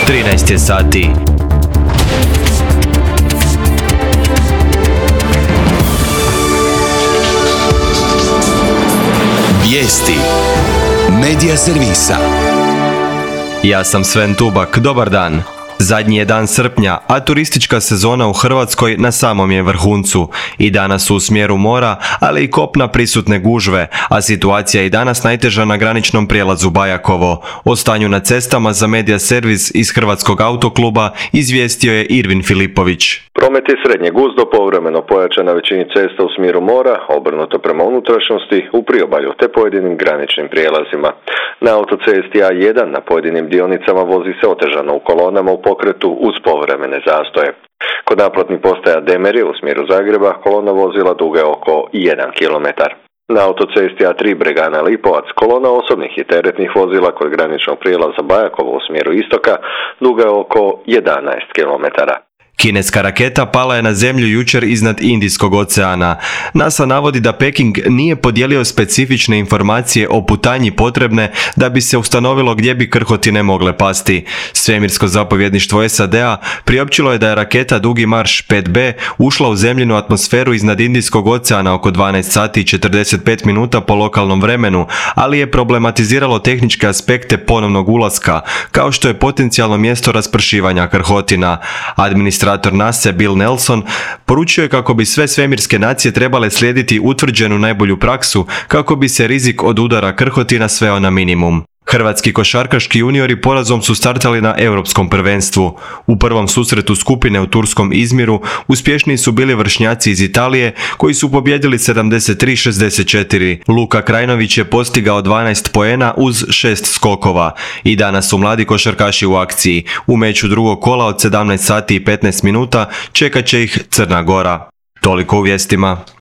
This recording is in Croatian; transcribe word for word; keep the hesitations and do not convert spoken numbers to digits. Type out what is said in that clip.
trinaest je sati. Vijesti Medija servisa. Ja sam Sven Tubak, dobar dan. Zadnji je dan srpnja, a turistička sezona u Hrvatskoj na samom je vrhuncu. I danas su u smjeru mora, ali i kopna prisutne gužve, a situacija je i danas najteža na graničnom prijelazu Bajakovo. O stanju na cestama za Medija servis iz Hrvatskog autokluba izvijestio je Irvin Filipović. Promet je srednje guzdo, povremeno pojačan na većini cesta u smjeru mora, obrnuto prema unutrašnjosti, u priobalju te pojedinim graničnim prijelazima. Na autocesti A jedan na pojedinim dionicama vozi se otežano u kolonama u pokretu uz povremene zastoje. Kod naplatnih postaja Demerje u smjeru Zagreba kolona vozila duga je oko jedan kilometar. Na autocesti A tri Bregana Lipovac kolona osobnih i teretnih vozila kod graničnog prijelaza Bajakovo u smjeru istoka duga je oko jedanaest kilometara. Kineska raketa pala je na zemlju jučer iznad Indijskog oceana. NASA navodi da Peking nije podijelio specifične informacije o putanji potrebne da bi se ustanovilo gdje bi krhotine mogle pasti. Svemirsko zapovjedništvo S A D-a priopćilo je da je raketa Dugi marš pet B ušla u zemljinu atmosferu iznad Indijskog oceana oko dvanaest sati i četrdeset pet minuta po lokalnom vremenu, ali je problematiziralo tehničke aspekte ponovnog ulaska, kao što je potencijalno mjesto raspršivanja krhotina. Administracija Administrator NASA Bill Nelson poručio je kako bi sve svemirske nacije trebale slijediti utvrđenu najbolju praksu kako bi se rizik od udara krhotina sveo na minimum. Hrvatski košarkaški juniori porazom su startali na europskom prvenstvu. U prvom susretu skupine u turskom Izmiru uspješniji su bili vršnjaci iz Italije koji su pobijedili sedamdeset tri šezdeset četiri. Luka Krajnović je postigao dvanaest poena uz šest skokova. I danas su mladi košarkaši u akciji. U meču drugog kola od sedamnaest sati i petnaest minuta čekat će ih Crna Gora. Toliko u vijestima.